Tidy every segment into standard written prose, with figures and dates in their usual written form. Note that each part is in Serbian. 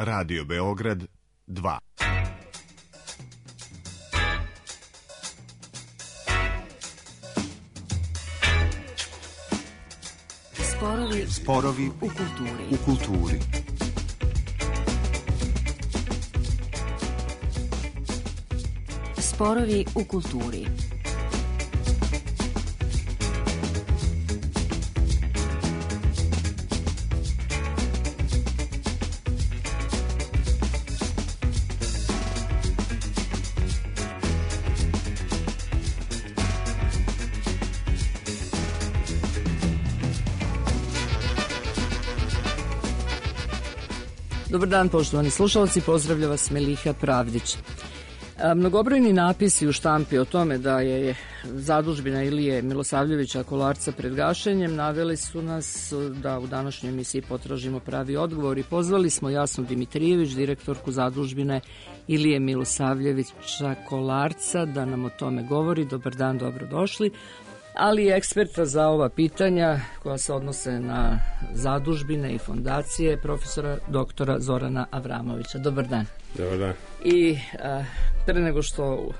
Radio Beograd 2. Sporovi u kulturi. Sporovi u kulturi. Dobar dan, poštovani slušalci, pozdravlja vas Meliha Pravdić. Mnogobrojni napisi u štampi o tome da je zadužbina Ilije Milosavljevića Kolarca pred gašenjem naveli su nas da u današnjoj emisiji potražimo pravi odgovor i pozvali smo Jasnu Dimitrijević, direktorku zadužbine Ilije Milosavljevića Kolarca, da nam o tome govori. Dobar dan, dobrodošli. Ali i eksperta za ova pitanja koja se odnose na zadužbine i fondacije, profesora doktora Zorana Avramovića. Dobar dan. Dobar dan. I pre nego što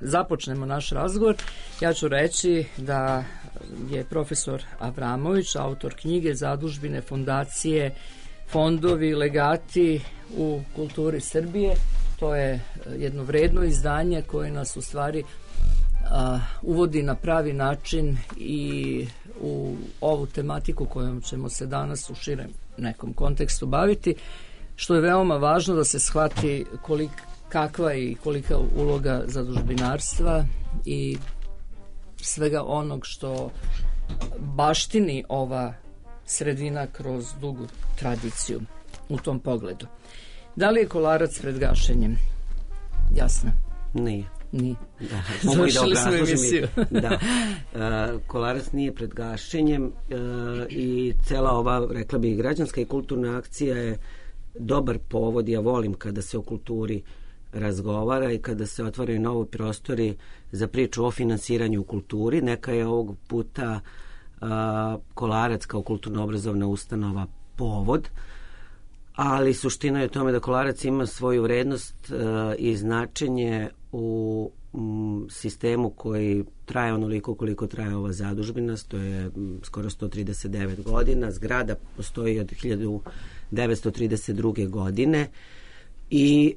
započnemo naš razgovor, ja ću reći da je profesor Avramović autor knjige Zadužbine, fondacije, fondovi, legati u kulturi Srbije. To je jedno vredno izdanje koje nas u stvari uvodi na pravi način i u ovu tematiku kojom ćemo se danas u širem nekom kontekstu baviti, što je veoma važno da se shvati kakva i kolika uloga zadužbinarstva i svega onog što baštini ova sredina kroz dugu tradiciju u tom pogledu. Da li je Kolarac pred gašenjem? Jasno. Nije. Da. Završili smo emisiju. Da. Kolarac nije pred gašenjem i cela ova, rekla bih, građanska i kulturna akcija je dobar povod. Ja volim kada se o kulturi razgovara i kada se otvaraju novi prostori za priču o finansiranju u kulturi. Neka je ovog puta Kolarac kao kulturno-obrazovna ustanova povod, ali suština je u tome da Kolarac ima svoju vrednost i značenje u sistemu koji traje onoliko koliko traje ova zadužbina, to je skoro 139 godina, zgrada postoji od 1932. godine i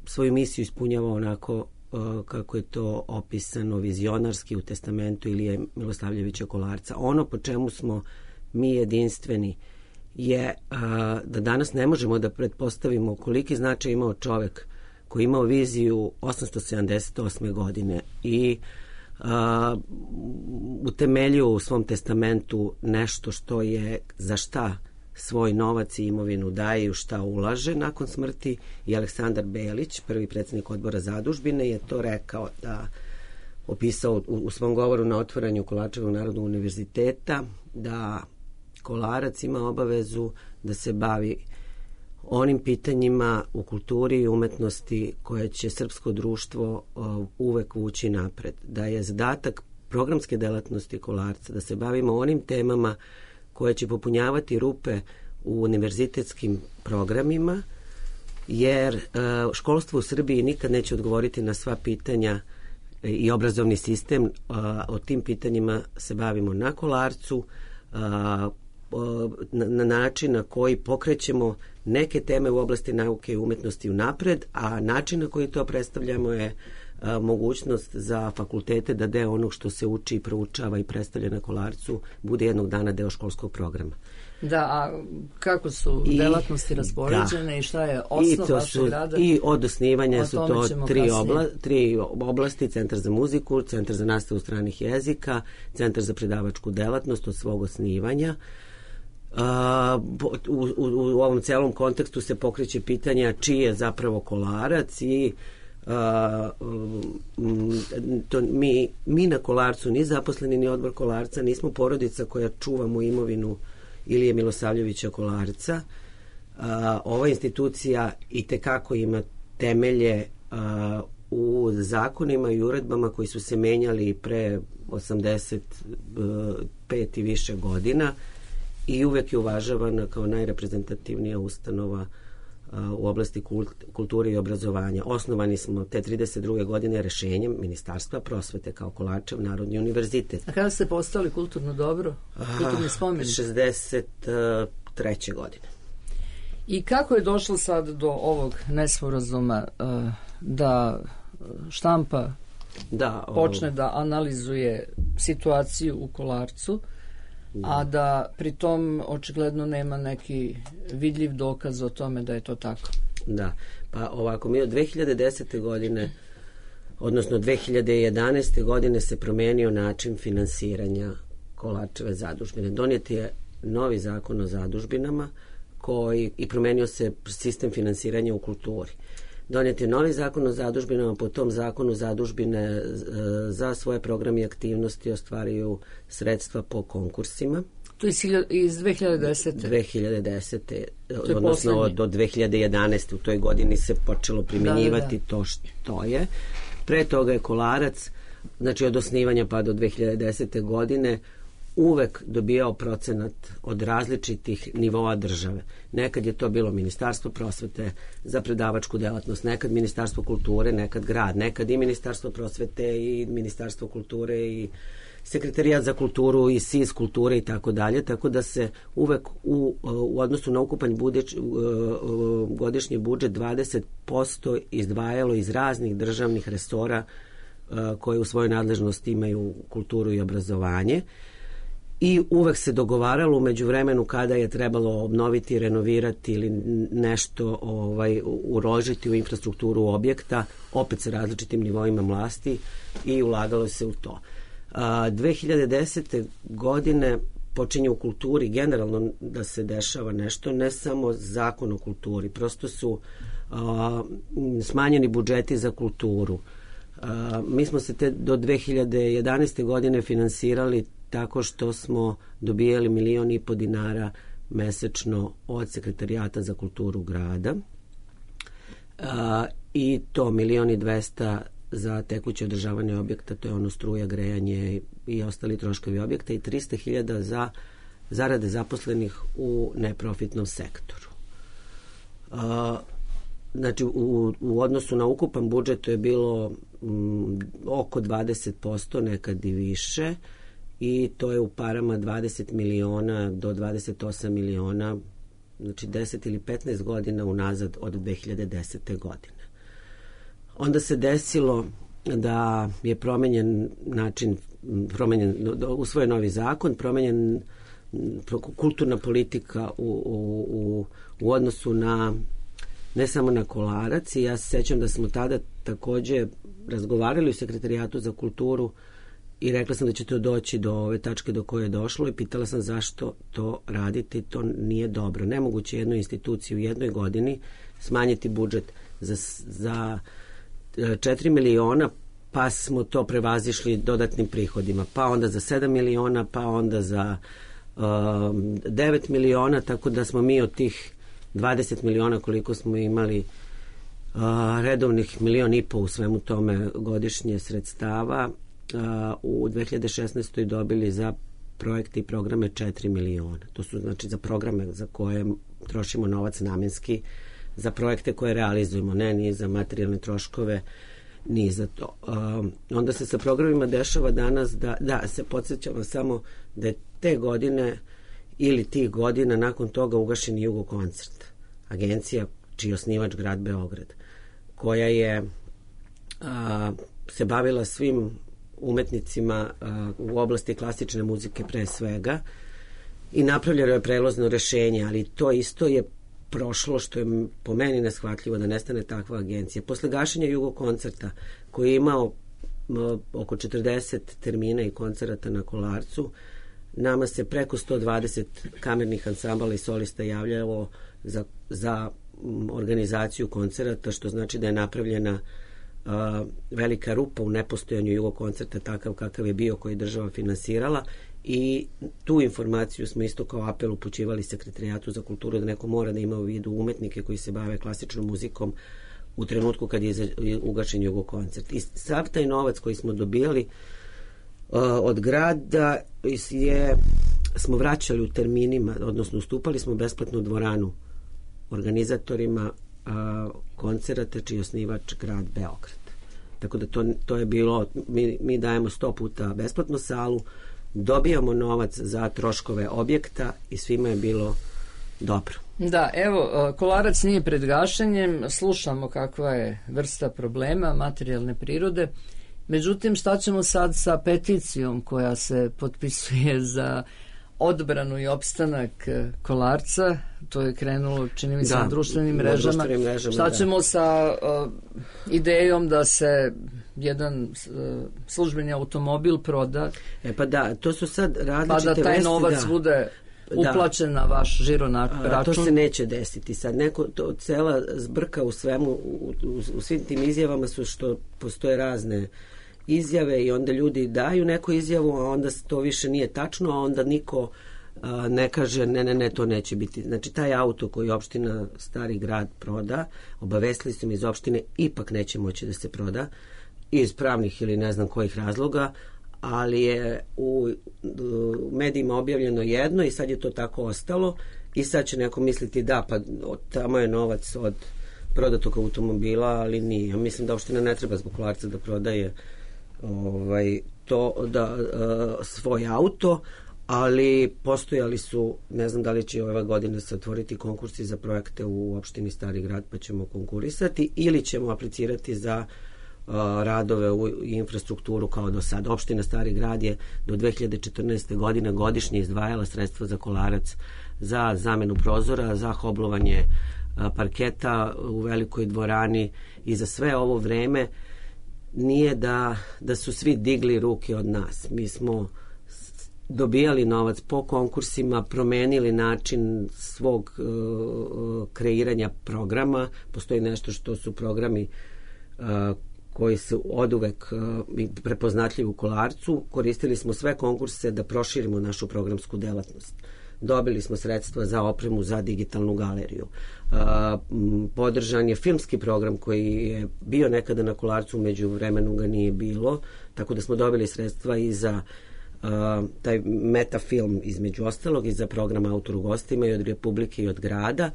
svoju misiju ispunjava onako kako je to opisano vizionarski u testamentu Ilije Milosavljevića Kolarca. Ono po čemu smo mi jedinstveni je da danas ne možemo da pretpostavimo koliki značaj imao čovek koji je imao viziju 878. godine i utemeljio u svom testamentu nešto što je za šta svoj novac i imovinu daje i u šta ulaže nakon smrti. I Aleksandar Belić, prvi predsjednik odbora zadužbine, je to rekao, da opisao u svom govoru na otvaranju Kolarčevog narodnog univerziteta, da Kolarac ima obavezu da se bavi onim pitanjima u kulturi i umetnosti koje će srpsko društvo uvek vući napred. Da je zadatak programske delatnosti Kolarca da se bavimo onim temama koje će popunjavati rupe u univerzitetskim programima, jer školstvo u Srbiji nikad neće odgovoriti na sva pitanja i obrazovni sistem. O tim pitanjima se bavimo na Kolarcu, na način na koji pokrećemo neke teme u oblasti nauke i umetnosti unapred, a način na koji to predstavljamo je mogućnost za fakultete da deo onog što se uči i proučava i predstavlja na Kolarcu bude jednog dana deo školskog programa. Da, a kako su delatnosti raspoređene i šta je osnov vašeg rada? I od osnivanja su to tri oblasti: Centar za muziku, Centar za nastavu stranih jezika, Centar za predavačku delatnost od svog osnivanja. U ovom celom kontekstu se pokreće pitanja čiji je zapravo Kolarac i mi na Kolarcu, ni zaposleni ni odbor Kolarca, nismo porodica koja čuvamo imovinu Ilije Milosavljevića Kolarca. Ova institucija itekako ima temelje u zakonima i uredbama koji su se menjali pre 85 i više godina i uvek je uvažavana kao najreprezentativnija ustanova u oblasti kulture i obrazovanja. Osnovani smo te 32. godine rešenjem Ministarstva prosvete kao Kolarčev Narodni univerzitet. A kada ste postali kulturno dobro? Kulturni spomenik? 63. godine. I kako je došlo sad do ovog nesporazuma da štampa počne da analizuje situaciju u Kolarcu, a da pritom očigledno nema neki vidljiv dokaz o tome da je to tako? Da, pa ovako, mi od 2010. godine, odnosno 2011. godine se promenio način finansiranja Kolarčeve zadužbine. Donijet je novi zakon o zadužbinama i promenio se sistem finansiranja u kulturi. Donijet je novi zakon o zadužbinama, po tom zakonu zadužbine za svoje programe i aktivnosti ostvaruju sredstva po konkursima. To je iz 2010. 2010. Odnosno do 2011. U toj godini se počelo primjenjivati to što je. Pre toga je Kolarac, znači od osnivanja pa do 2010. godine, uvek dobijao procenat od različitih nivoa države. Nekad je to bilo Ministarstvo prosvete za predavačku delatnost, nekad Ministarstvo kulture, nekad grad, nekad i Ministarstvo prosvete i Ministarstvo kulture i Sekretarijat za kulturu i SIS kulture i tako dalje, tako da se uvek u odnosu na ukupan godišnji budžet 20% izdvajalo iz raznih državnih resora koje u svojoj nadležnosti imaju kulturu i obrazovanje. I uvek se dogovaralo u međuvremenu kada je trebalo obnoviti, renovirati ili nešto uložiti u infrastrukturu objekta, opet sa različitim nivoima vlasti, i ulagalo se u to. 2010. godine počinje u kulturi generalno da se dešava nešto, ne samo zakon o kulturi, prosto su smanjeni budžeti za kulturu. Mi smo se do 2011. godine finansirali tako što smo dobijali 1,5 miliona dinara mesečno od Sekretarijata za kulturu grada i to 1.200.000 za tekuće održavanje objekta, to je ono struja, grejanje i ostali troškovi objekta, i 300.000 za zarade zaposlenih u neprofitnom sektoru. Znači u odnosu na ukupan budžet to je bilo oko 20%, nekad i više, i to je u parama 20 miliona do 28 miliona, znači 10 ili 15 godina unazad od 2010. godine. Onda se desilo da je promenjen način, usvojen novi zakon, promenjen kulturna politika u odnosu na, ne samo na Kolarac, i ja se sećam da smo tada takođe razgovarali u Sekretarijatu za kulturu i rekla sam da će to doći do ove tačke do koje je došlo i pitala sam zašto to raditi, to nije dobro. Nemoguće jednoj instituciji u jednoj godini smanjiti budžet za 4 miliona, pa smo to prevazišli dodatnim prihodima, pa onda za 7 miliona, pa onda za 9 miliona, tako da smo mi od tih 20 miliona koliko smo imali redovnih 1,5 miliona u svemu tome godišnje sredstava, u 2016. dobili za projekte i programe 4 miliona. To su znači za programe za koje trošimo novac namenski, za projekte koje realizujemo, ne ni za materijalne troškove, ni za to. Onda se sa programima dešava danas da se podsjećamo samo da je te godine ili tih godina nakon toga ugašen Jugokoncert, agencija čiji je osnivač grad Beograd, koja je se bavila svim umetnicima u oblasti klasične muzike pre svega i napravljeno je prelazno rešenje, ali to isto je prošlo, što je po meni neshvatljivo da nestane takva agencija. Posle gašenja Jugokoncerta, koji je imao oko 40 termina i koncerata na Kolarcu, nama se preko 120 kamernih ansambala i solista javljalo za organizaciju koncerata, što znači da je napravljena velika rupa u nepostojanju Jugokoncerta takav kakav je bio, koji je država finansirala, i tu informaciju smo isto kao apel upućivali Sekretarijatu za kulturu, da neko mora da ima u vidu umetnike koji se bave klasičnom muzikom u trenutku kad je ugašen Jugokoncert. I sav taj novac koji smo dobijali od grada smo vraćali u terminima, odnosno ustupali smo besplatnu dvoranu organizatorima koncerata čiji je osnivač grad Beograd. Tako da to je bilo, mi dajemo 100 puta besplatnu salu, dobijamo novac za troškove objekta i svima je bilo dobro. Da, evo, Kolarac nije pred gašenjem, slušamo kakva je vrsta problema materijalne prirode. Međutim, šta ćemo sad sa peticijom koja se potpisuje za odbranu i opstanak Kolarca? To je krenulo, čini mi se, na društvenim mrežama. Šta ćemo sa idejom da se jedan službeni automobil proda? Pa da, to su sad različite vesti. Pa da taj novac bude uplaćen na vaš žiro račun. To se neće desiti sad. Cela zbrka u svemu, u svim tim izjavama su što postoje razne izjave i onda ljudi daju neku izjavu, a onda to više nije tačno, a onda niko ne kaže ne, to neće biti. Znači, taj auto koji opština Stari Grad proda, obavestili su mi iz opštine, ipak neće moći da se proda iz pravnih ili ne znam kojih razloga, ali je u medijima objavljeno jedno i sad je to tako ostalo i sad će neko misliti da, pa tamo je novac od prodatog automobila, ali nije. Ja mislim da opština ne treba zbog Kolarca da prodaje svoj auto, ali postojali su, ne znam da li će ove godine se otvoriti konkursi za projekte u opštini Stari Grad, pa ćemo konkurisati ili ćemo aplicirati za radove u infrastrukturu kao do sada. Opština Stari Grad je do 2014. godine godišnje izdvajala sredstva za Kolarac, za zamenu prozora, za hoblovanje parketa u velikoj dvorani i za sve ovo vreme. Nije da su svi digli ruke od nas. Mi smo dobijali novac po konkursima, promenili način svog kreiranja programa. Postoji nešto što su programi koji su oduvek prepoznatljivi u Kolarcu. Koristili smo sve konkurse da proširimo našu programsku delatnost. Dobili smo sredstva za opremu za digitalnu galeriju. Podržan je filmski program koji je bio nekada na Kolarcu, među vremenu ga nije bilo, tako da smo dobili sredstva i za taj metafilm između ostalog i za program Autor u gostima i od Republike i od grada.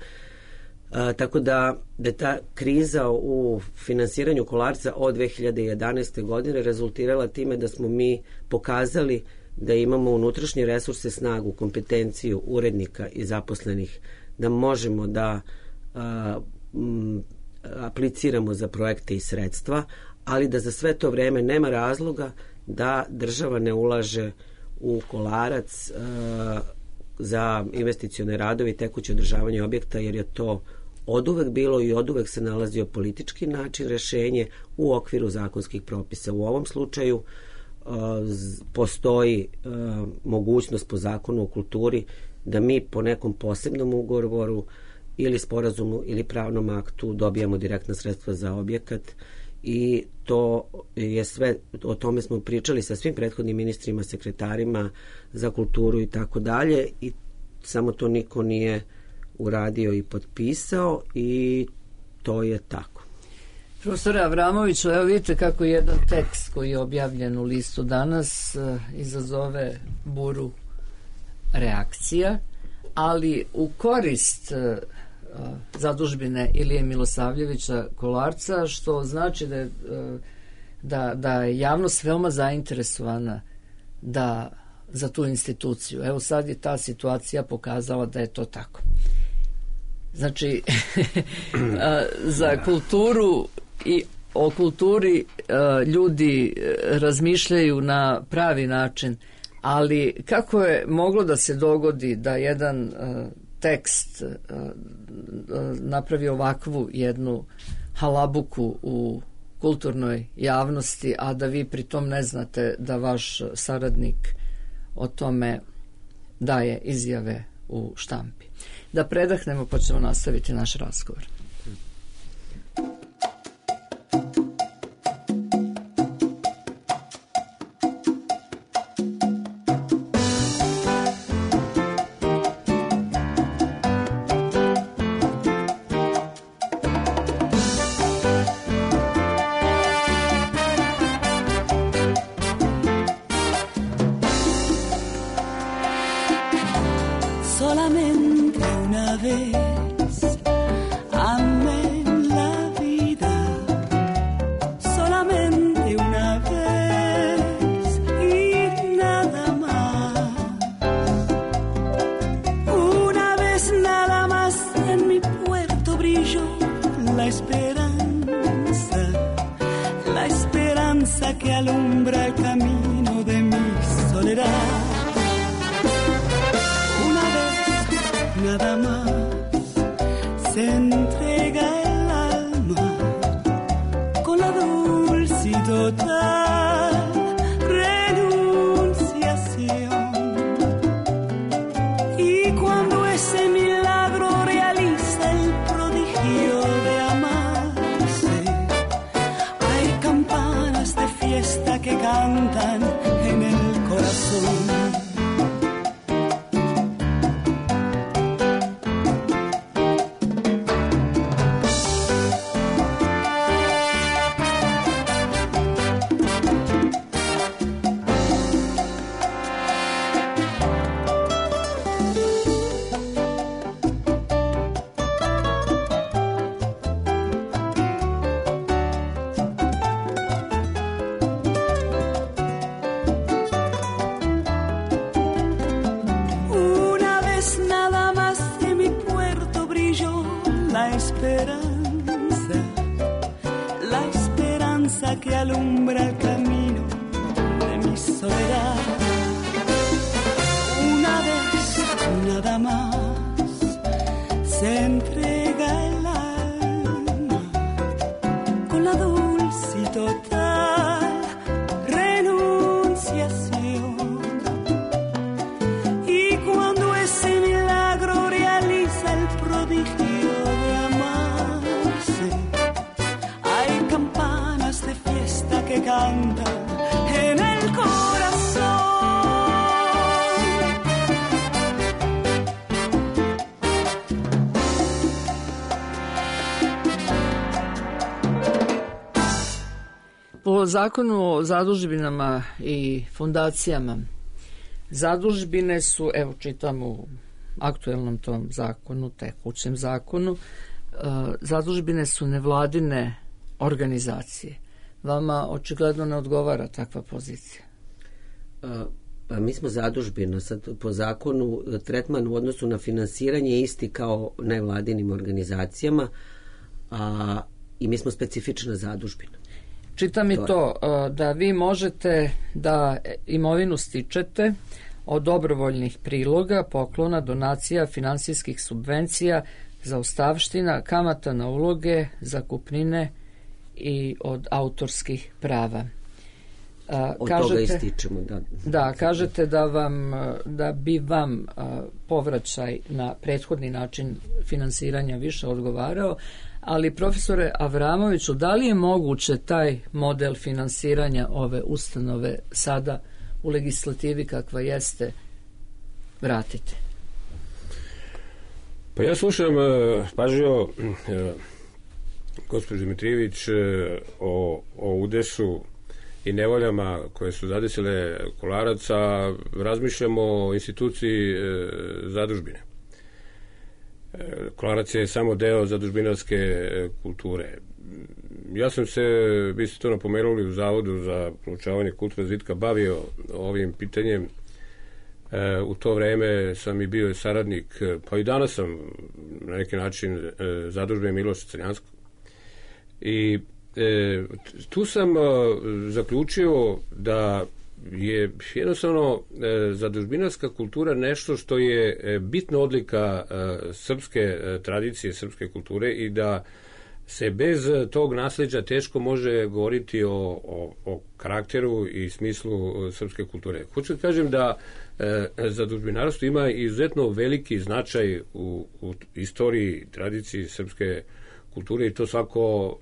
Tako da je ta kriza u finansiranju Kolarca od 2011. godine rezultirala time da smo mi pokazali da imamo unutrašnje resurse, snagu, kompetenciju urednika i zaposlenih, da možemo da apliciramo za projekte i sredstva, ali da za sve to vreme nema razloga da država ne ulaže u Kolarac za investicione radove i tekuće održavanje objekta, jer je to oduvek bilo i oduvek se nalazio politički način rešenje u okviru zakonskih propisa. U ovom slučaju postoji mogućnost po zakonu o kulturi da mi po nekom posebnom ugovoru ili sporazumu ili pravnom aktu dobijamo direktna sredstva za objekat i to je sve, o tome smo pričali sa svim prethodnim ministrima, sekretarima za kulturu i tako dalje i samo to niko nije uradio i potpisao i to je tako. Profesore Avramoviću, evo vidite kako jedan tekst koji je objavljen u listu danas izazove buru reakcija, ali u korist zadužbine Ilije Milosavljevića Kolarca, što znači da je javnost veoma zainteresovana za tu instituciju. Evo sad je ta situacija pokazala da je to tako. Znači, za kulturu i o kulturi ljudi razmišljaju na pravi način, ali kako je moglo da se dogodi da jedan tekst napravi ovakvu jednu halabuku u kulturnoj javnosti, a da vi pritom ne znate da vaš saradnik o tome daje izjave u štampi. Da predahnemo pa ćemo nastaviti naš razgovor. Solamente una vez la esperanza que alumbra el camino de mi soledad. Una vez nada más se entrega el alma con la dulce y total renunciación. Y cuando ese milagro realiza el prodigio de amarse, hay campanas de fiesta que cantan en el corazón. Que alumbra el camino de mi soledad. Una vez nada más se entrega el alma con la dulce y total renunciación. Y cuando ese milagro realiza el prodigio de amarse, hay campanas de fiesta que cantan en el corazón. Po zakonu o zadužbinama i fondacijama, zadužbine su, evo čitam u aktuelnom tom zakonu, tekućem zakonu, zadužbine su nevladine organizacije. Vama očigledno ne odgovara takva pozicija. Pa mi smo zadužbina, sad po zakonu tretman u odnosu na finansiranje isti kao nevladinim organizacijama, i mi smo specifična zadužbina. Čitam i to da vi možete da imovinu stičete od dobrovoljnih priloga, poklona, donacija, finansijskih subvencija, zaostavština, kamata na uloge, zakupnine i od autorskih prava. Od toga ističemo, da. Da, kažete da bi vam povraćaj na prethodni način finansiranja više odgovarao, ali profesore Avramoviću, da li je moguće taj model finansiranja ove ustanove sada u legislativi kakva jeste vratiti? Pa ja slušam pažljivo gospođu Dimitrijević o udesu i nevoljama koje su zadesile Kolaraca, razmišljamo o instituciji zadužbine. Kolarac je samo deo zadužbinarske kulture. Ja sam se, vi ste to napomenuli, u Zavodu za proučavanje kulturnog razvitka bavio ovim pitanjem. U to vreme sam i bio saradnik, pa i danas sam na neki način zadužben Miloša Crnjanskog. I tu sam zaključio da je jednostavno zadužbinarska kultura nešto što je bitna odlika srpske tradicije, srpske kulture i da se bez tog nasleđa teško može govoriti o karakteru i smislu srpske kulture. Hoću da kažem da zadužbinarstvo ima izuzetno veliki značaj u istoriji, tradiciji srpske kulture i to svako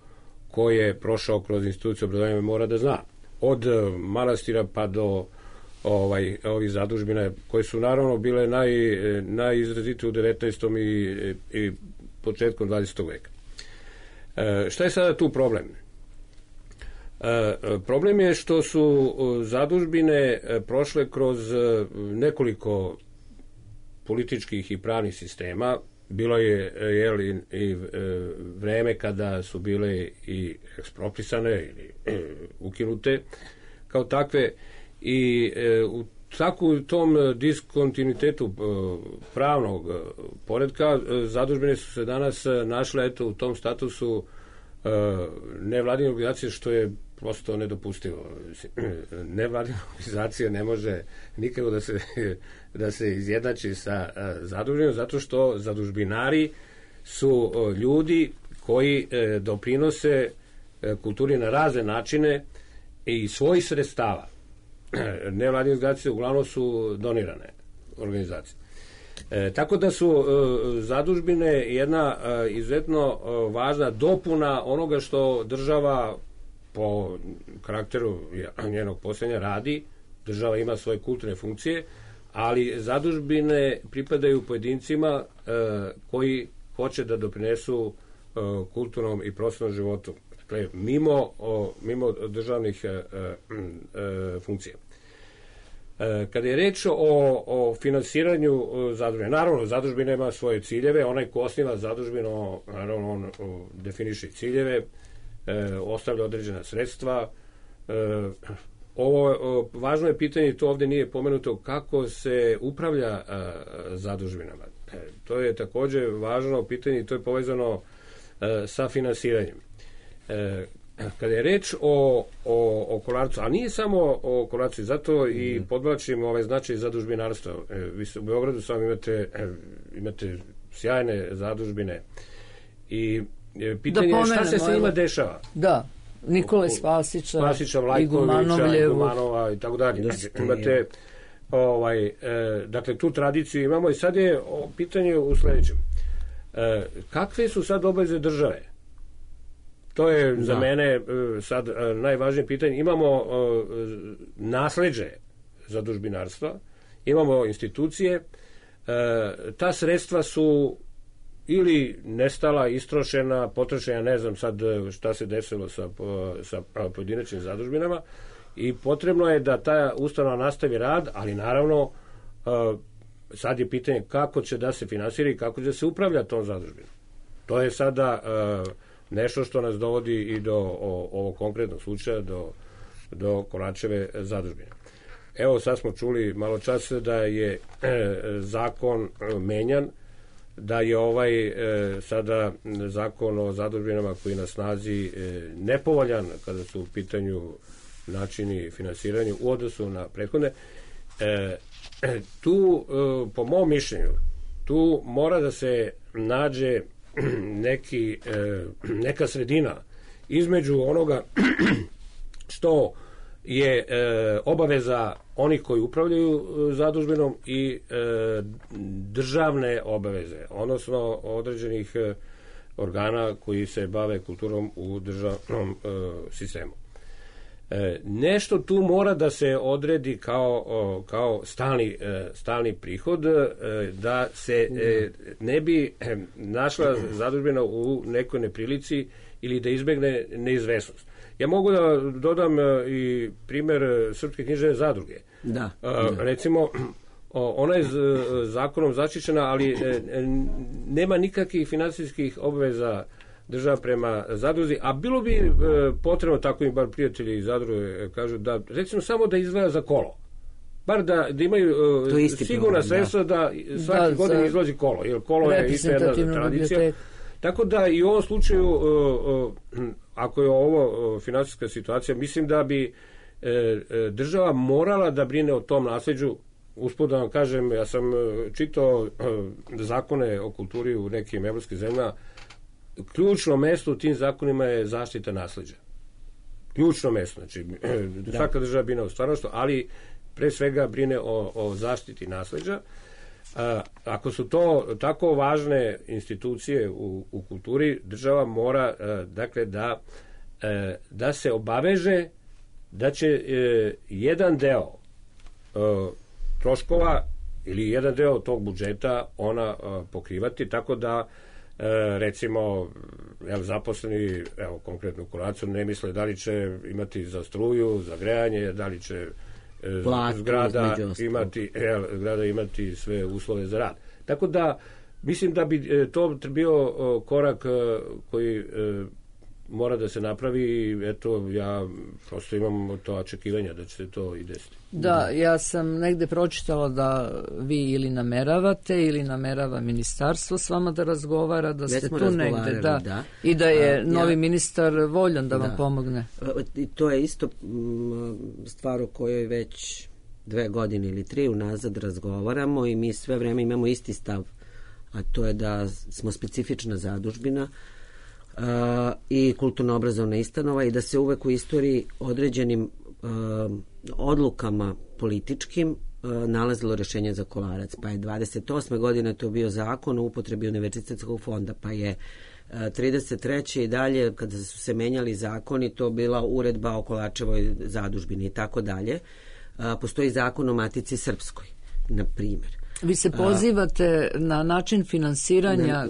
ko je prošao kroz instituciju obrazovanja mora da zna. Od manastira pa do ovih zadužbina koje su naravno bile najizrazitije u 19. i početkom 20. veka. Šta je sada tu problem? Problem je što su zadužbine prošle kroz nekoliko političkih i pravnih sistema. Bilo je i vreme kada su bile i eksproprisane ili ukinute kao takve i u tako u tom diskontinuitetu pravnog poretka zadužbine su se danas našle eto u tom statusu nevladine organizacije, što je prosto nedopustivo. Nevladina organizacija ne može nikako da se izjednači sa zadužbinom, zato što zadužbinari su ljudi koji doprinose kulturi na razne načine i svojih sredstava. Nevladine organizacije uglavnom su donirane organizacije. Tako da su zadužbine jedna izuzetno važna dopuna onoga što država po karakteru njenog postojanja radi. Država ima svoje kulturne funkcije, ali zadužbine pripadaju pojedincima koji hoće da doprinesu kulturnom i prostornom životu. Dakle, mimo državnih funkcija. Kada je reč o finansiranju zadužbine, naravno, zadužbina ima svoje ciljeve, onaj ko osniva zadužbinu, naravno, on definiše ciljeve, ostavlja određena sredstva. Važno je pitanje, i to ovde nije pomenuto, kako se upravlja zadužbinama. To je takođe važno pitanje i to je povezano sa finansiranjem. Kada je reč o Kolarcu, a nije samo o Kolarcu, zato i podvlačim ovaj značaj zadužbinarstva. Vi u Beogradu sam imate sjajne zadužbine i pitanje je šta se sa njima dešava. Da, Nikole Spasića, Vlajkovića, Igumanova i tako dalje. Imate dakle, tu tradiciju imamo i sad je pitanje u sledećem. Kakve su sad obaveze države? To je za mene sad najvažnije pitanje. Imamo nasleđe zadužbinarstva, imamo institucije, ta sredstva su ili nestala, istrošena, potrošena, ne znam sad šta se desilo sa pojedinačnim zadužbinama, i potrebno je da ta ustanova nastavi rad, ali naravno sad je pitanje kako će da se finansira i kako će da se upravlja tom zadužbinom. To je sada nešto što nas dovodi i do ovog konkretnog slučaja, do Kolarčeve zadužbine. Evo, sad smo čuli malo čas da je zakon menjan, da je sada zakon o zadužbinama koji je na snazi nepovoljan kada su u pitanju načini finansiranja u odnosu na prethodne. Tu, po mom mišljenju, tu mora da se nađe neka sredina između onoga što je obaveza onih koji upravljaju zadužbinom i državne obaveze, odnosno određenih organa koji se bave kulturom u državnom sistemu. Nešto tu mora da se odredi kao stalni prihod, da se ne bi našla zadužbina u nekoj neprilici ili da izbegne neizvesnost. Ja mogu da dodam i primer Srpske književne zadruge. Da. Recimo, ona je zakonom zaštićena, ali nema nikakvih finansijskih obaveza država prema zadruzi, a bilo bi potrebno, tako im bar prijatelji iz zadruge kažu, da recimo samo da izdvaja za kolo. Bar da imaju sigurna sredstva da svaki godin izlazi kolo, jer kolo je isto jedna tradicija. Tako da i u ovom slučaju, ako je ovo finansijska situacija, mislim da bi država morala da brine o tom nasleđu. Usput da vam kažem, ja sam čitao zakone o kulturi u nekim evropskim zemljama. Ključno mesto u tim zakonima je zaštita nasleđa. Ključno mesto. Znači, svaka država brine o stvarnošću, ali pre svega brine o zaštiti nasleđa. Ako su to tako važne institucije u kulturi, država mora dakle da se obaveže da će jedan deo troškova ili jedan deo tog budžeta ona pokrivati, tako da recimo zaposleni, evo konkretno u Kolarcu, ne misle da li će imati za struju, za grejanje, da li će zgrada imati sve uslove za rad. Tako da mislim da bi to bio korak koji mora da se napravi i eto, ja prosto imam to očekivanja da će se to i desiti. Da, ja sam negde pročitala da vi ili nameravate ili namerava ministarstvo s vama da razgovara, da ste tu negde, da. I da je novi ministar voljan da vam pomogne. I to je isto stvar o kojoj već 2 godine ili 3 unazad razgovaramo i mi sve vreme imamo isti stav, a to je da smo specifična zadužbina i kulturno-obrazovna ustanova i da se uvek u istoriji određenim odlukama političkim nalazilo rešenje za Kolarac. Pa je 28. godine to bio zakon o upotrebi univerzitetskog fonda, pa je 33. i dalje, kada su se menjali zakoni, to bila uredba o Kolarčevoj zadužbini i tako dalje. Postoji zakon o Matici Srpskoj, na primjer. Vi se pozivate na način finansiranja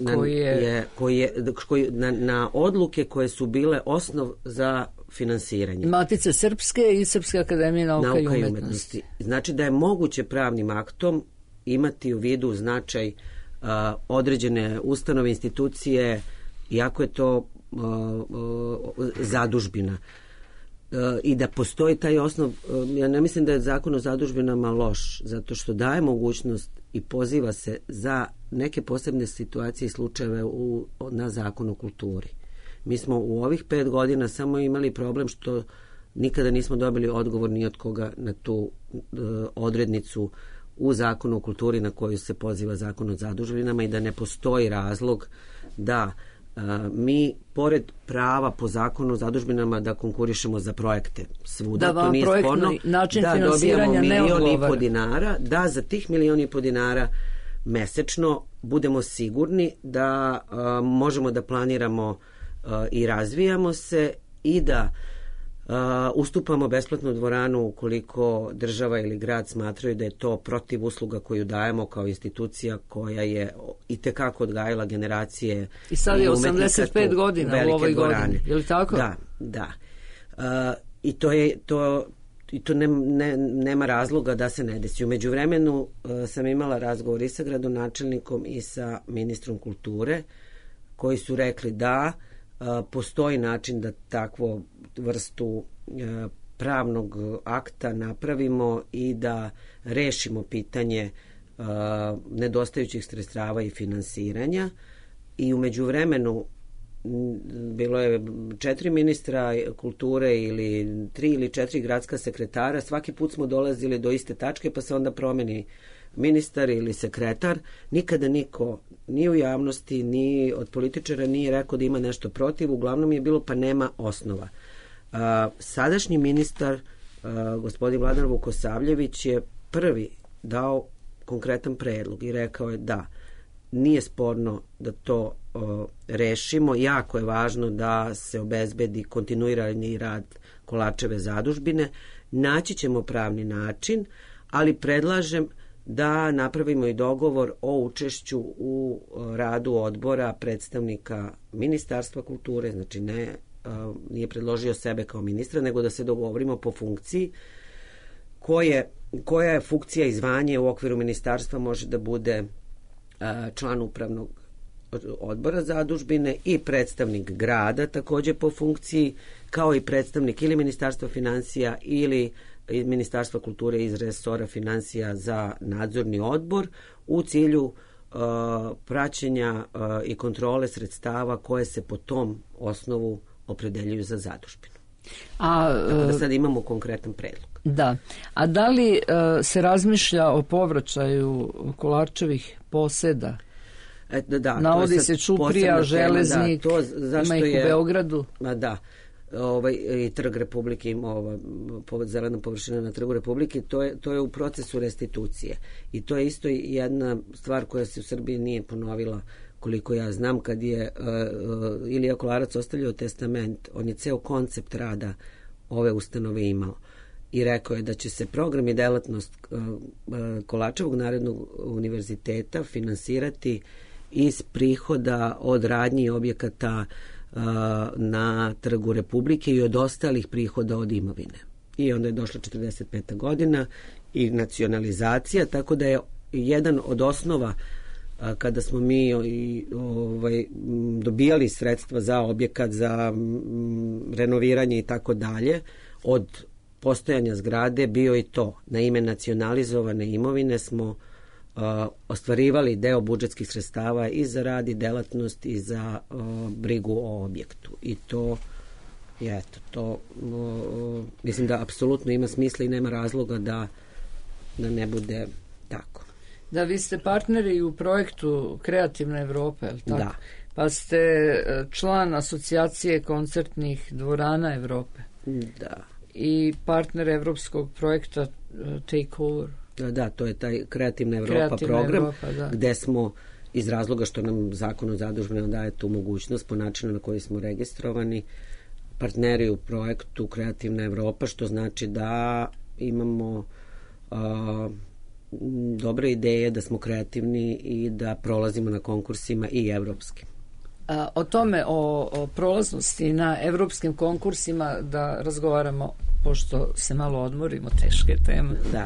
na odluke koje su bile osnov za finansiranje. Matice Srpske i Srpske akademije nauka i umetnosti. Znači da je moguće pravnim aktom imati u vidu značaj određene ustanove, institucije, iako je to zadužbina. I da postoji taj osnov, ja ne mislim da je zakon o zadužbinama loš, zato što daje mogućnost i poziva se za neke posebne situacije i slučajeve na zakon o kulturi. Mi smo u ovih 5 godina samo imali problem što nikada nismo dobili odgovor ni od koga na tu odrednicu u zakonu o kulturi na koju se poziva zakon o zadužbinama i da ne postoji razlog da mi, pored prava po zakonu o zadužbinama da konkurišemo za projekte svuda, to nije sporno, da dobijamo $1,5 miliona, da za tih $1,5 miliona mesečno budemo sigurni da možemo da planiramo i razvijamo se i da ustupamo besplatnu dvoranu ukoliko država ili grad smatraju da je to protiv usluga koju dajemo kao institucija koja je itekako odgajala generacije. I sad je 85 godina u ovoj godini, je li tako? Da. I to nema razloga da se ne desi. U međuvremenu sam imala razgovor i sa gradonačelnikom i sa ministrom kulture koji su rekli da postoji način da takvu vrstu pravnog akta napravimo i da rešimo pitanje nedostajućih sredstava i finansiranja. I u međuvremenu bilo je 4 ministra kulture ili 3 ili 4 gradska sekretara. Svaki put smo dolazili do iste tačke pa se onda promeni ministar ili sekretar. Nikada niko ni u javnosti ni od političara nije rekao da ima nešto protiv. Uglavnom je bilo pa nema osnova. Sadašnji ministar gospodin Vladan Vukosavljević je prvi dao konkretan predlog i rekao je da nije sporno da to rešimo. Jako je važno da se obezbedi kontinuirani rad Kolarčeve zadužbine. Naći ćemo pravni način, ali predlažem da napravimo i dogovor o učešću u radu odbora predstavnika Ministarstva kulture, znači nije predložio sebe kao ministra, nego da se dogovorimo po funkciji koja je funkcija i zvanje u okviru ministarstva. Može da bude član upravnog odbora zadužbine i predstavnik grada takođe po funkciji, kao i predstavnik ili Ministarstva finansija ili Ministarstva kulture iz resora finansija za nadzorni odbor u cilju praćenja i kontrole sredstava koje se po tom osnovu opredeljuju za zadužbinu. Tako da sad imamo konkretan predlog. Da. A da li se razmišlja o povraćaju Kolarčevih poseda? Navodi se Ćuprija, Železnik, ima ih u Beogradu. Da. I Trg Republike ima zelena površina na Trgu Republike, to je u procesu restitucije. I to je isto jedna stvar koja se u Srbiji nije ponovila, koliko ja znam. Kad je Ilija Kolarac ostavljao testament, on je ceo koncept rada ove ustanove imao i rekao je da će se program i delatnost Kolarčevog narodnog univerziteta finansirati iz prihoda od radnji i objekata na Trgu Republike i od ostalih prihoda od imovine. I onda je došla 45. godina i nacionalizacija, tako da je jedan od osnova kada smo mi dobijali sredstva za objekat, za renoviranje i tako dalje, od postojanja zgrade bio i to. Na ime nacionalizovane imovine smo ostvarivali deo budžetskih sredstava i za rad i delatnost i za brigu o objektu. I to mislim da apsolutno ima smisla i nema razloga da ne bude tako. Da, vi ste partneri u projektu Kreativna Evropa, je li tako? Da. Pa ste član asocijacije koncertnih dvorana Evrope. Da. I partner evropskog projekta Takeover. Da, to je taj Kreativna Evropa program, gde smo iz razloga što nam zakon o zadužbinama daje tu mogućnost po načinu na koji smo registrovani, partneri u projektu Kreativna Evropa, što znači da imamo dobre ideje, da smo kreativni i da prolazimo na konkursima i evropskim. O tome, o prolaznosti na evropskim konkursima da razgovaramo, pošto se malo odmorimo, teške teme. Da.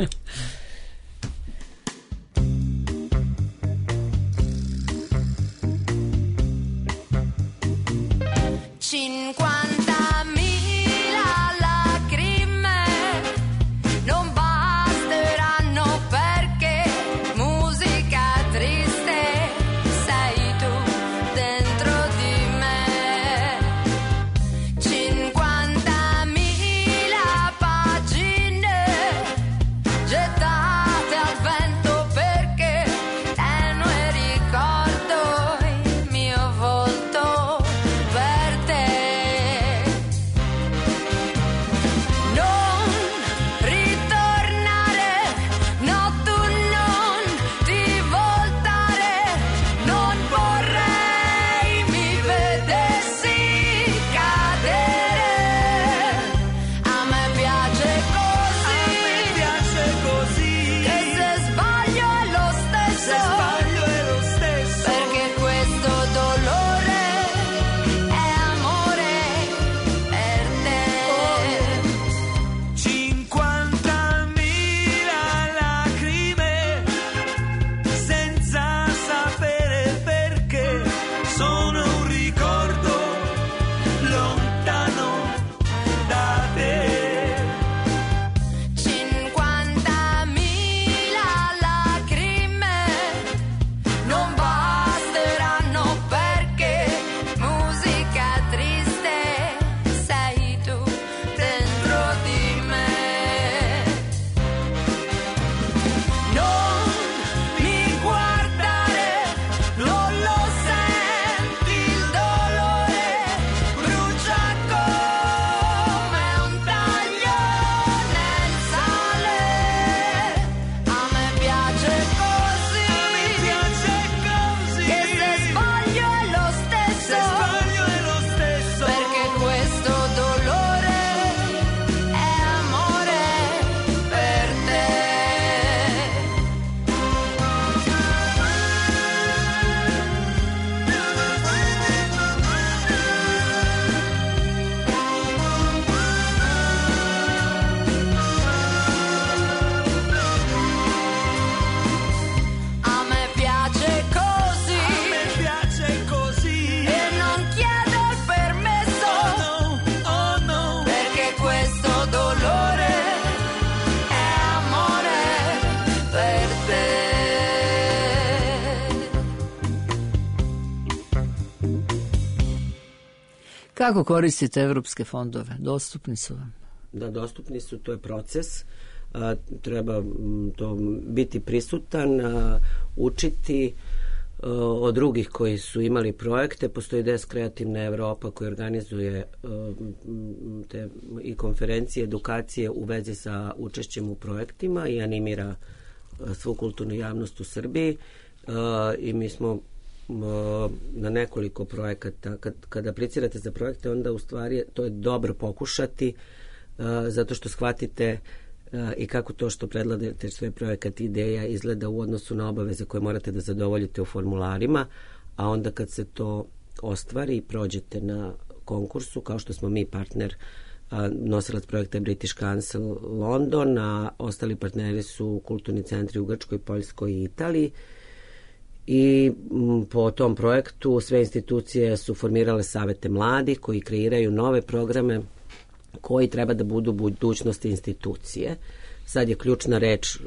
Kako koristite evropske fondove? Dostupni su vam? Da, dostupni su, to je proces. Treba to biti prisutan, učiti od drugih koji su imali projekte. Postoji DES Kreativna Evropa koji organizuje te i konferencije, edukacije u vezi sa učešćem u projektima i animira svu kulturnu javnost u Srbiji. I mi smo na nekoliko projekata. Kada aplicirate za projekte, onda u stvari to je dobro pokušati, zato što shvatite i kako to što predlažete sve projekat ideja izgleda u odnosu na obaveze koje morate da zadovoljite u formularima, a onda kad se to ostvari i prođete na konkursu, kao što smo mi partner, nosilac projekta British Council London, a ostali partneri su kulturni centri u Grčkoj, Poljskoj i Italiji. i po tom projektu sve institucije su formirale savete mladih koji kreiraju nove programe koji treba da budu budućnost institucije. Sad je ključna reč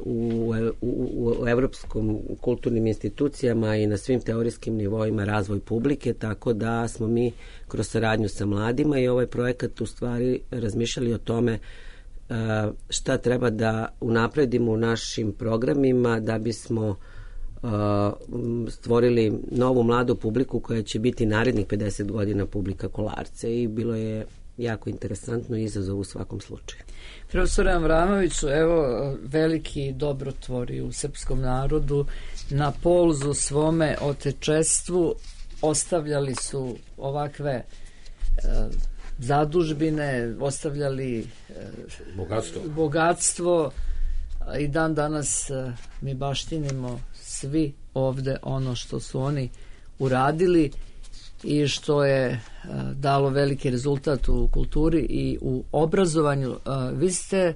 u evropskom kulturnim institucijama i na svim teorijskim nivoima razvoj publike, tako da smo mi kroz saradnju sa mladima i ovaj projekat u stvari razmišljali o tome šta treba da unapredimo u našim programima da bismo stvorili novu mladu publiku koja će biti narednih 50 godina publika Kolarce i bilo je jako interesantno i izazov u svakom slučaju. Profesore Avramoviću, evo veliki dobrotvori u srpskom narodu na polzu svome otečestvu ostavljali su ovakve zadužbine, ostavljali bogatstvo i dan danas mi baštinimo svi ovde ono što su oni uradili i što je dalo veliki rezultat u kulturi i u obrazovanju. Vi ste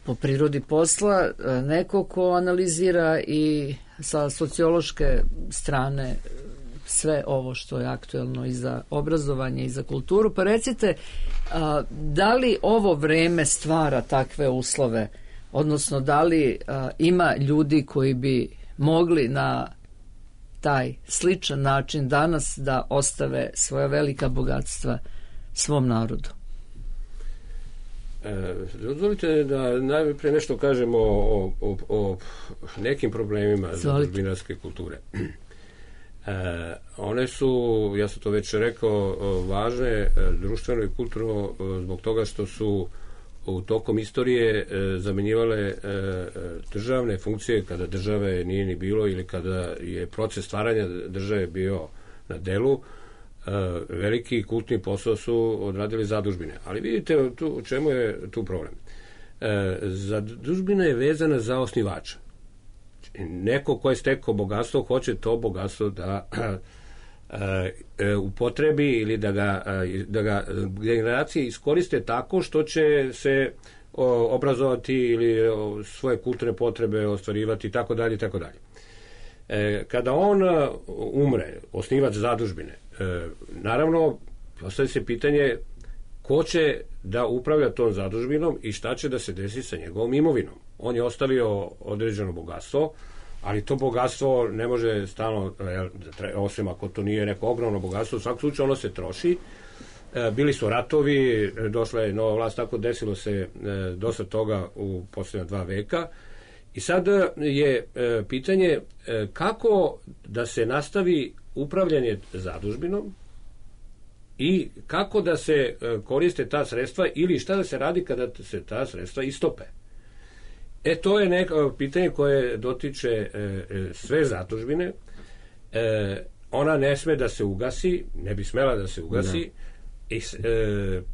po prirodi posla neko ko analizira i sa sociološke strane sve ovo što je aktuelno i za obrazovanje i za kulturu. Pa recite, da li ovo vreme stvara takve uslove, odnosno da li ima ljudi koji bi mogli na taj sličan način danas da ostave svoja velika bogatstva svom narodu? Dozvolite da najprije nešto kažemo o nekim problemima zadužbinarske kulture. One su, ja sam to već rekao, važne društveno i kulturno zbog toga što su u tokom istorije zamenjivale državne funkcije kada države nije ni bilo ili kada je proces stvaranja države bio na delu. Veliki kultni posao su odradili zadužbine. Ali vidite u čemu je tu problem. Zadužbina je vezana za osnivača. Neko ko je stekao bogatstvo hoće to bogatstvo da upotrebi ili da ga generacije iskoriste tako što će se obrazovati ili svoje kulturne potrebe ostvarivati i tako dalje i tako dalje. Kada on umre, osnivač zadužbine, naravno postavlja se pitanje ko će da upravlja tom zadužbinom i šta će da se desi sa njegovom imovinom. On je ostavio određeno bogatstvo, ali to bogatstvo ne može stalno, osim ako to nije neko ogromno bogatstvo, u svakom slučaju ono se troši. Bili su ratovi, došla je nova vlast, tako desilo se dosta toga u posljednja 2 veka. I sad je pitanje kako da se nastavi upravljanje zadužbinom i kako da se koriste ta sredstva ili šta da se radi kada se ta sredstva istope. To je neko pitanje koje dotiče sve zadužbine. Ona ne sme da se ugasi, ne bi smela da se ugasi. I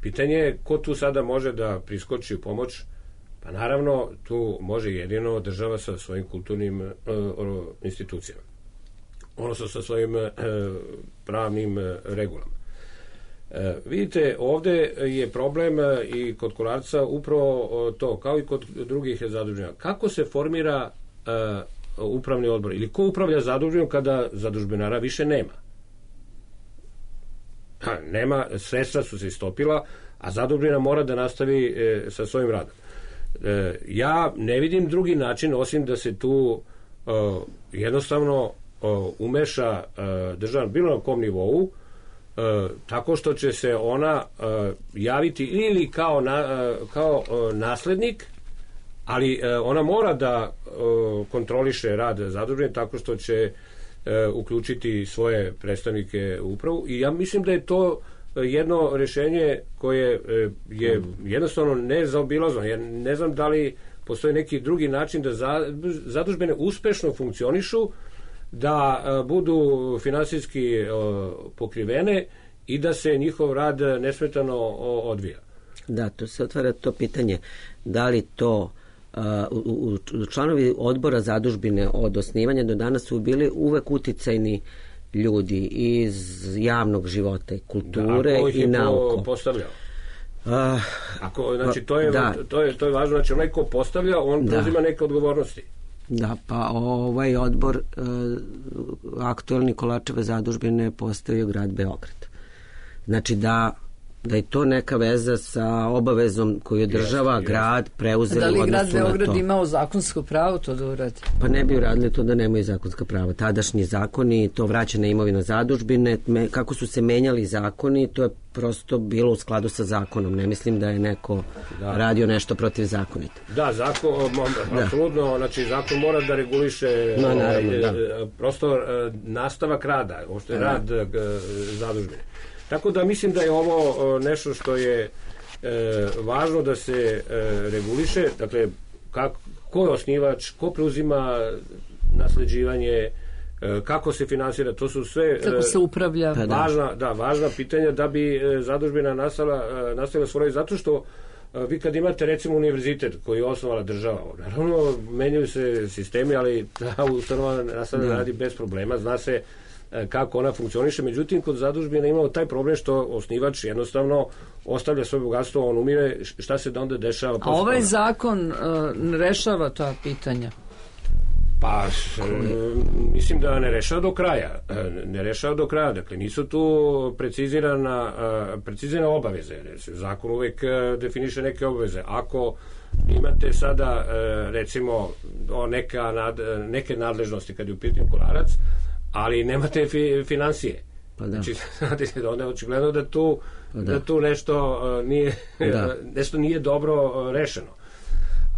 pitanje je ko tu sada može da priskoči u pomoć. Pa naravno tu može jedino država sa svojim kulturnim institucijama, odnosno sa svojim pravnim regulama. Vidite, ovde je problem i kod Kolarca upravo to, kao i kod drugih zadužbina. Kako se formira upravni odbor ili ko upravlja zadužbinom kada zadužbinara više nema? Nema, sredstva su se istopila, a zadužbina mora da nastavi sa svojim radom. Ja ne vidim drugi način osim da se tu jednostavno umeša država bilo na kom nivou, tako što će se ona javiti ili kao naslednik, ali ona mora da kontroliše rad zadužbine tako što će uključiti svoje predstavnike u upravu i ja mislim da je to jedno rješenje koje je jednostavno nezaobilazno. Ja ne znam da li postoji neki drugi način da zadužbine uspešno funkcionišu, da budu finansijski pokrivene i da se njihov rad nesmetano odvija. Da, to se otvara to pitanje. Da li to članovi odbora zadužbine od osnivanja do danas su bili uvek uticajni ljudi iz javnog života, kulture i nauke. Ko postavljao? Znači, to je važno. Znači, onaj ko postavlja, on preuzima neke odgovornosti. Da, pa ovaj odbor aktuelni Kolačeve zadužbine postavio grad Beograd. Znači da je to neka veza sa obavezom koju je država, grad preuzeli odnosu na to. Da li grad Beograd imao zakonsko pravo to da uradi? Pa ne bi uradili to da nemaju zakonska prava. Tadašnji zakoni, to vraća na imovinu zadužbine, kako su se menjali zakoni, to je prosto bilo u skladu sa zakonom. Ne mislim da je neko radio nešto protivzakonito. Da, zakon, apsolutno, znači zakon mora da reguliše prosto nastavak rada, uopšte rad zadužbine. Tako da mislim da je ovo nešto što je važno da se reguliše, dakle, ko je osnivač, ko preuzima nasleđivanje, kako se finansira, to su sve kako se upravlja. Važna pitanja da bi zadužbina nastavila svoj, zato što vi kad imate recimo univerzitet koji je osnovala država, naravno menjaju se sistemi, ali ta ustanova nastavlja da radi bez problema, zna se kako ona funkcioniše, međutim kod zadužbina imamo taj problem što osnivač jednostavno ostavlja svoje bogatstvo, on umire, šta se da onda dešava? A ovaj zakon rešava ta pitanja? Pa, mislim da ne rešava do kraja, dakle nisu tu precizirane obaveze, zakon uvek definiše neke obaveze. Ako imate sada recimo neke nadležnosti kad je u pitanju Kolarac, ali nemate finansije. Pa da. Znači, znate, onda je očigledno da tu nešto nije dobro rešeno.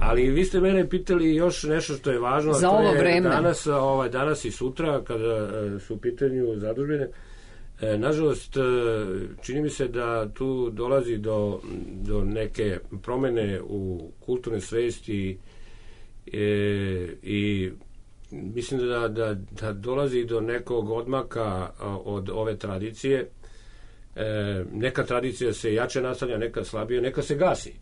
Ali vi ste mene pitali još nešto što je važno, za ovo vreme. Danas i sutra, kada su u pitanju zadužbine, nažalost, čini mi se da tu dolazi do neke promene u kulturne svesti i mislim da dolazi do nekog odmaka od ove tradicije. Neka tradicija se jače nastavlja, neka slabije, neka se gasi.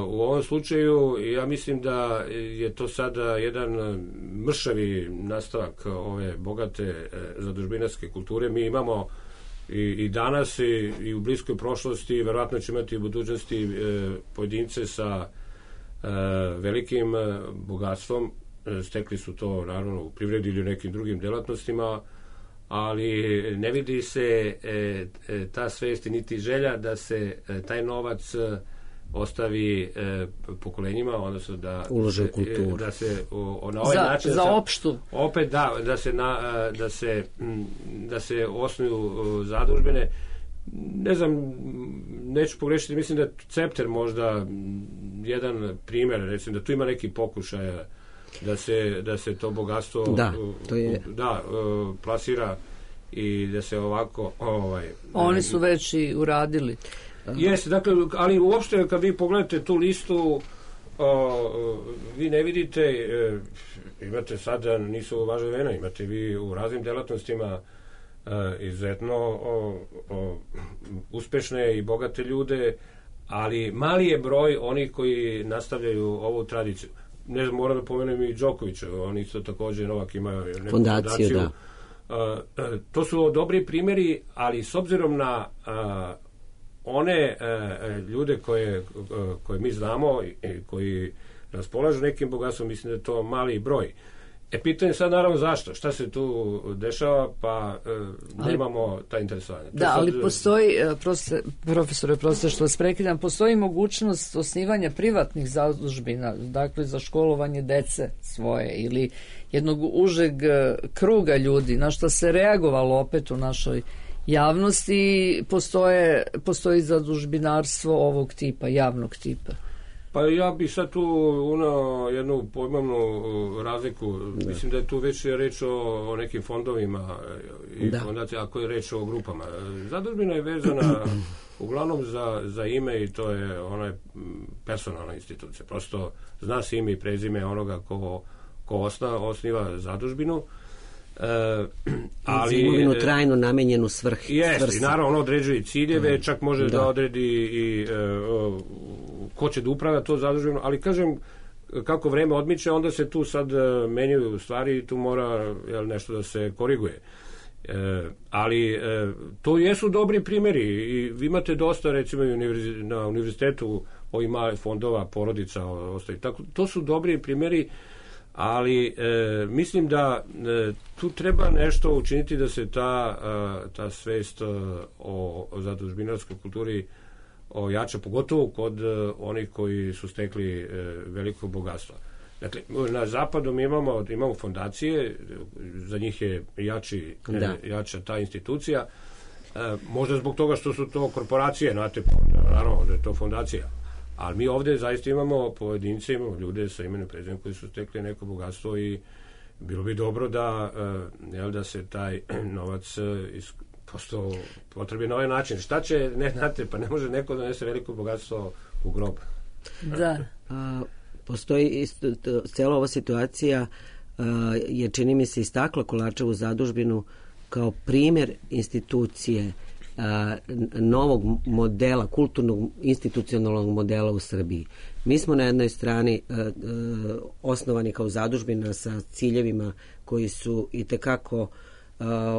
U ovom slučaju ja mislim da je to sada jedan mršavi nastavak ove bogate zadužbinarske kulture. Mi imamo i danas i u bliskoj prošlosti, verovatno će imati u budućnosti pojedince sa velikim bogatstvom. Stekli su to naravno u privredi ili u nekim drugim delatnostima, ali ne vidi se ta svest niti želja da se taj novac ostavi pokolenjima, odnosno da ulože u kulturu, da se na ovaj način za opštu opet da se osnuju zadužbine. Ne znam, neću pogrešiti, mislim da je Cepter možda jedan primer, recimo da tu ima neki pokušaj da se to bogatstvo plasira i da se ovako oni su već i uradili. Jeste, dakle, ali uopšte kad vi pogledate tu listu, vi ne vidite, imate sada, nisu važne vremena, imate vi u raznim delatnostima izuzetno uspešne i bogate ljude, ali mali je broj onih koji nastavljaju ovu tradiciju. Ne znam, moram da pomenem i Đokovića, on isto takođe, Novak ima neku fondaciju. To su dobri primjeri, ali s obzirom na one ljude koje mi znamo i koji raspolažu nekim bogatstvom, mislim da je to mali broj. Pitanje sad naravno zašto? Šta se tu dešava, pa nemamo ta interesovanja. Da, ali postoji, profesore, što vas prekidam, postoji mogućnost osnivanja privatnih zadužbina, dakle za školovanje dece svoje ili jednog užeg kruga ljudi, na što se reagovalo opet u našoj javnosti, postoji zadužbinarstvo ovog tipa, javnog tipa. Pa ja bih sad tu unao jednu pojmovnu razliku. Mislim da je tu već reč o nekim fondovima i fondacija, ako je reč o grupama. Zadužbina je vezana uglavnom za ime i to je ona personalna institucija. Prosto zna se ime i prezime onoga ko osniva zadužbinu. Ali imovinu trajno namenjenu svrsi. Jeste, naravno on određuje ciljeve, čak može da odredi i ko će da upravlja to zadužbino, ali kažem, kako vreme odmiče, onda se tu sad menjaju stvari i tu mora nešto da se koriguje. Ali to jesu dobri primjeri i vi imate dosta, recimo na univerzitetu ovih malih fondova, porodica, to su dobri primjeri. Ali mislim da tu treba nešto učiniti da se ta svest o zadužbinarskoj kulturi ojača, pogotovo kod onih koji su stekli veliko bogatstvo. Dakle, na zapadu mi imamo fondacije, za njih je jača ta institucija, možda zbog toga što su to korporacije, znate, naravno da je to fondacija. Ali mi ovde zaista imamo pojedince, imamo ljude sa imenom i prezimenom koji su stekli neko bogatstvo i bilo bi dobro da se taj novac prosto potrebi na ovaj način. Šta će, ne znate, pa ne može neko da nese veliko bogatstvo u grob. Da. Postoji cijela ova situacija je, čini mi se, istakla Kolarčevu zadužbinu kao primjer institucije novog modela, kulturnog institucionalnog modela u Srbiji. Mi smo na jednoj strani osnovani kao zadužbina sa ciljevima koji su itekako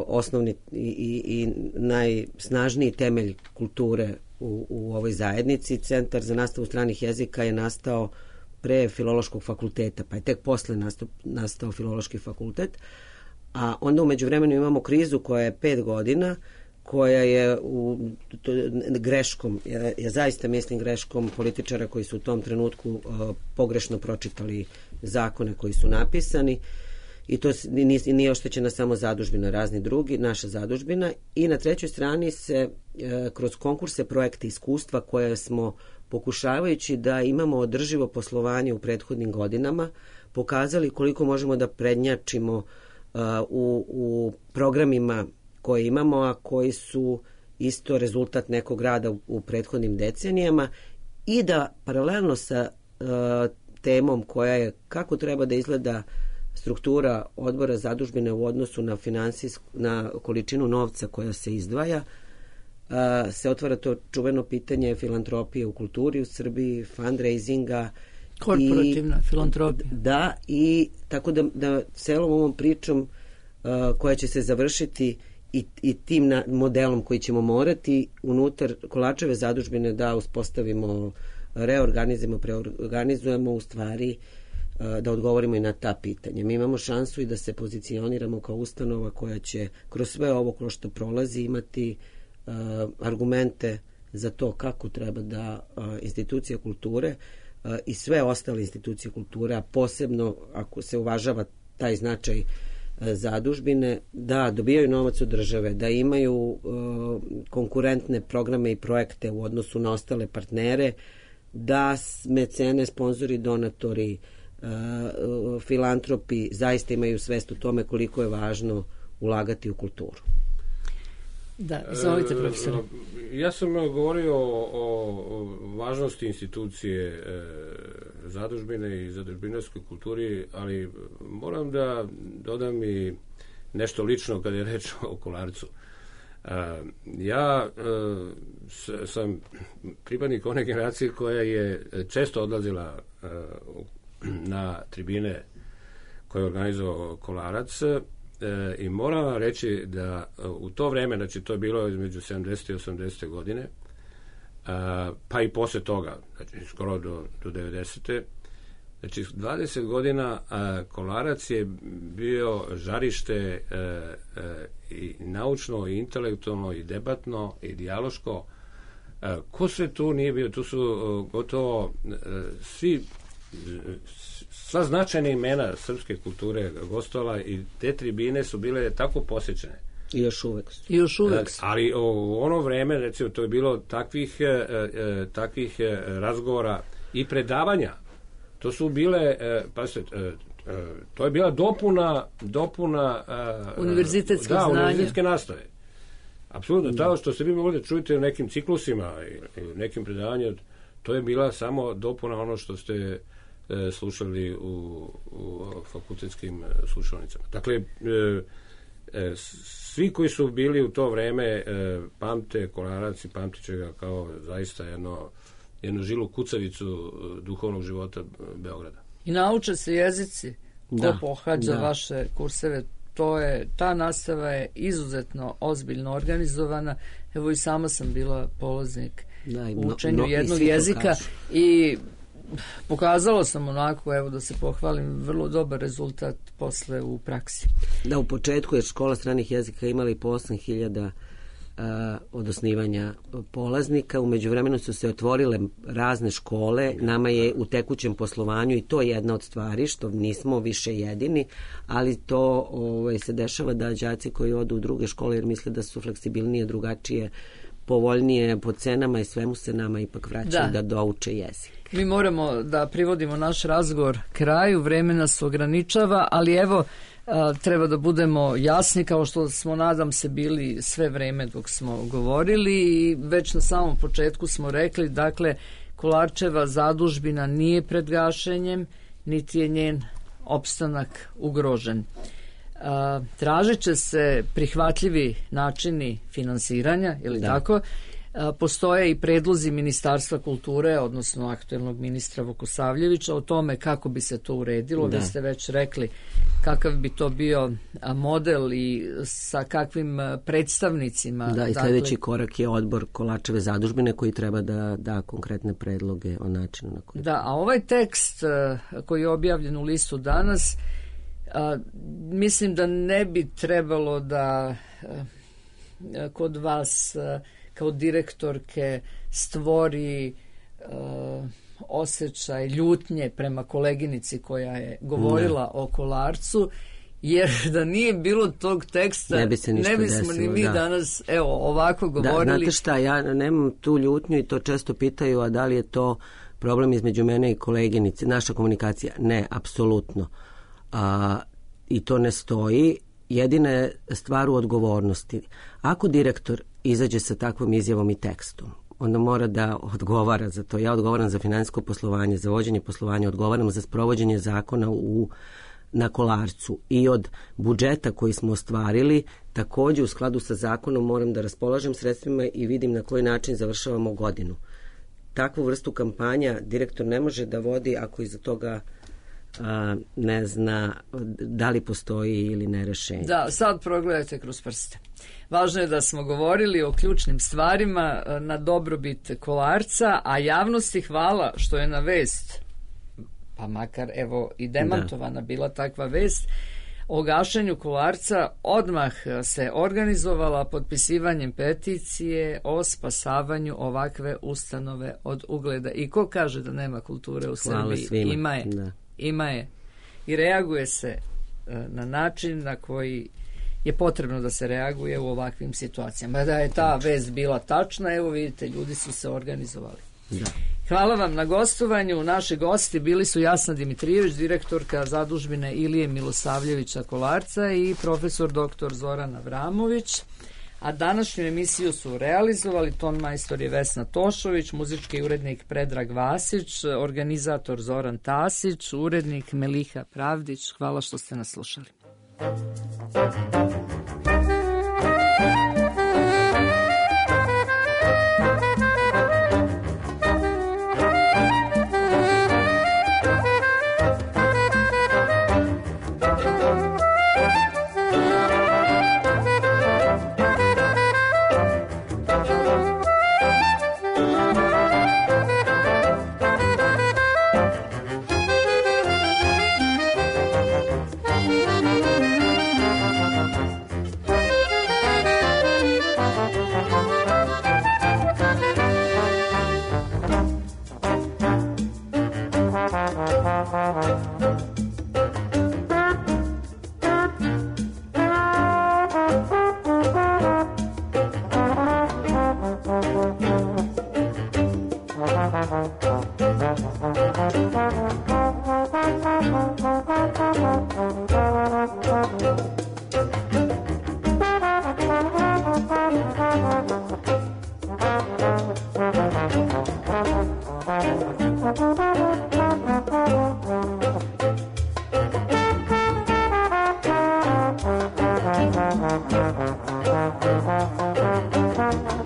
osnovni i najsnažniji temelj kulture u ovoj zajednici. Centar za nastavu stranih jezika je nastao pre Filološkog fakulteta, pa je tek posle nastao Filološki fakultet, a onda u međuvremenu imamo krizu koja je 5 godina, koja je greškom, ja zaista mislim greškom političara koji su u tom trenutku pogrešno pročitali zakone koji su napisani, i to nije oštećena samo zadužbina, razni drugi, naša zadužbina, i na trećoj strani se kroz konkurse, projekte, iskustva koje smo, pokušavajući da imamo održivo poslovanje u prethodnim godinama, pokazali koliko možemo da prednjačimo u programima koje imamo, a koji su isto rezultat nekog rada u prethodnim decenijama, i da paralelno sa temom koja je kako treba da izgleda struktura odbora zadužbine u odnosu na količinu novca koja se izdvaja, se otvara to čuveno pitanje filantropije u kulturi u Srbiji, fundraisinga, korporativna filantropija. Da, i tako da celom ovom pričom koja će se završiti i tim modelom koji ćemo morati unutar Kolarčeve zadužbine da uspostavimo, preorganizujemo u stvari, da odgovorimo i na ta pitanja. Mi imamo šansu i da se pozicioniramo kao ustanova koja će kroz sve ovo kroz što prolazi imati argumente za to kako treba da institucije kulture i sve ostale institucije kulture, a posebno ako se uvažava taj značaj zadužbine, da dobijaju novac od države, da imaju konkurentne programe i projekte u odnosu na ostale partnere, da mecene, sponzori, donatori, filantropi zaista imaju svest o tome koliko je važno ulagati u kulturu. Da, izvolite, profesore. Ja sam govorio o važnosti institucije zadužbine i zadužbinarskoj kulturi, ali moram da dodam i nešto lično kada je reč o Kolarcu. Ja sam pripadnik one generacije koja je često odlazila na tribine koje je organizovao Kolarac, i moram vam reći da u to vreme, znači to je bilo između 70. i 80. godine, pa i posle toga, znači skoro do 90. Znači 20 godina Kolarac je bio žarište i naučno, i intelektualno, i debatno, i dijaloško. Ko sve tu nije bio? Tu su gotovo sva značajna imena srpske kulture gostovala i te tribine su bile tako posjećene. I još uvek. Ali u ono vreme, recimo, to je bilo takvih razgovora i predavanja. To su bile, to je bila dopuna univerzitetskih znanja. univerzitetske nastave. Apsolutno, to što se vi mogli da čujete u nekim ciklusima i u nekim predavanjima, to je bila samo dopuna ono što ste slušali u fakultetskim slušalnicama. Dakle, svi koji su bili u to vreme pamte Kolarac i pamtit će ga kao zaista jednu žilu kucavicu duhovnog života Beograda. I nauče se jezici. Ko pohađa vaše kurseve, ta nastava je izuzetno ozbiljno organizovana. Evo i sama sam bila polaznik u učenju jednog jezika i pokazalo sam onako, evo da se pohvalim, vrlo dobar rezultat posle u praksi. Da, u početku je škola stranih jezika imala i po 8.000 od osnivanja polaznika. U međuvremenu su se otvorile razne škole. Nama je u tekućem poslovanju i to je jedna od stvari što nismo više jedini, ali to se dešava da đaci koji odu u druge škole jer misle da su fleksibilnije, drugačije, povoljnije po cenama i svemu se nama ipak vraćaju da douče jezik. Mi moramo da privodimo naš razgovor kraju, vreme nas ograničava, ali evo treba da budemo jasni kao što smo, nadam se, bili sve vreme dok smo govorili i već na samom početku smo rekli, dakle, Kolarčeva zadužbina nije pred gašenjem, niti je njen opstanak ugrožen. Tražit će se prihvatljivi načini finansiranja, ili tako? Postoje i predlozi Ministarstva kulture, odnosno aktuelnog ministra Vukosavljevića, o tome kako bi se to uredilo. Vi ste već rekli kakav bi to bio model i sa kakvim predstavnicima. Da, i sljedeći korak je odbor Kolarčeve zadužbine koji treba da da konkretne predloge o načinu na koji. Da, a ovaj tekst koji je objavljen u listu danas, mislim da ne bi trebalo da kod vas kao direktorke stvori osjećaj ljutnje prema koleginici koja je govorila o Kolarcu, jer da nije bilo tog teksta ne bismo desilo, ni mi danas ovako govorili. Znate šta, ja nemam tu ljutnju i to često pitaju, a da li je to problem između mene i koleginice, naša komunikacija? Ne, apsolutno. I to ne stoji. Jedina je stvar u odgovornosti. Ako direktor izađe sa takvom izjavom i tekstom, onda mora da odgovara za to. Ja odgovaram za finansijsko poslovanje, za vođenje poslovanja, odgovaram za sprovođenje zakona na Kolarcu i od budžeta koji smo ostvarili, također u skladu sa zakonom moram da raspolažem sredstvima i vidim na koji način završavamo godinu. Takvu vrstu kampanja direktor ne može da vodi ako iza toga ne zna da li postoji ili ne rešenje. Da, sad progledajte kroz prste. Važno je da smo govorili o ključnim stvarima na dobrobit Kolarca, a javnosti hvala što je na vest, pa makar evo i demantovana bila takva vest, o gašenju Kolarca odmah se organizovala potpisivanjem peticije o spasavanju ovakve ustanove od ugleda. I ko kaže da nema kulture u Srbiji? Ima je. Ima je. I reaguje se na način na koji je potrebno da se reaguje u ovakvim situacijama. Da je ta vest bila tačna, evo vidite, ljudi su se organizovali. Da. Hvala vam na gostovanju. Naši gosti bili su Jasna Dimitrijević, direktorka zadužbine Ilije Milosavljevića Kolarca i profesor dr. Zoran Avramović. A današnju emisiju su realizovali ton majstor je Vesna Tošović, muzički urednik Predrag Vasić, organizator Zoran Tasić, urednik Meliha Pravdić. Hvala što ste nas slušali. Thank you.